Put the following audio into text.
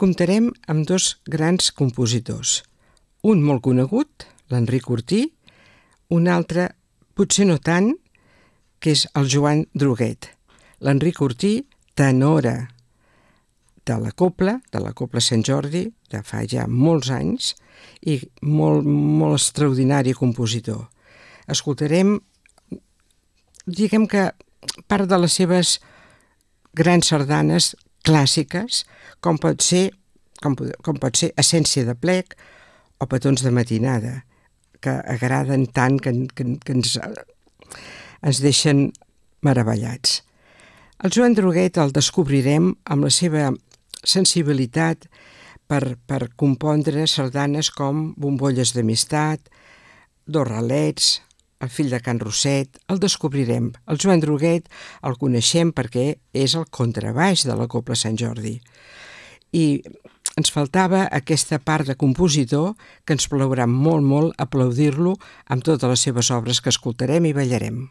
comptarem amb dos grans compositors. Un molt conegut, l'Enric Ortí, un altre, potser no tant, que és el Joan Druguet. L'Enric Ortí, tenora de la Cobla Sant Jordi, de fa ja molts anys, i molt, molt extraordinari compositor. Escoltarem, diguem que part de les seves grans sardanes clàssiques, com pot ser Essència de plec o Petons de matinada, que agraden tant que ens deixen meravellats. El Joan Druguet el descobrirem amb la seva sensibilitat per compondre sardanes com Bombolles d'amistat, Dos ralets, El fill de Can Roset. El descobrirem. El Joan Druguet el coneixem perquè és el contrabaix de la Cobla Sant Jordi. I ens faltava aquesta part de compositor que ens plaurà molt, molt aplaudir-lo amb totes les seves obres que escoltarem i ballarem.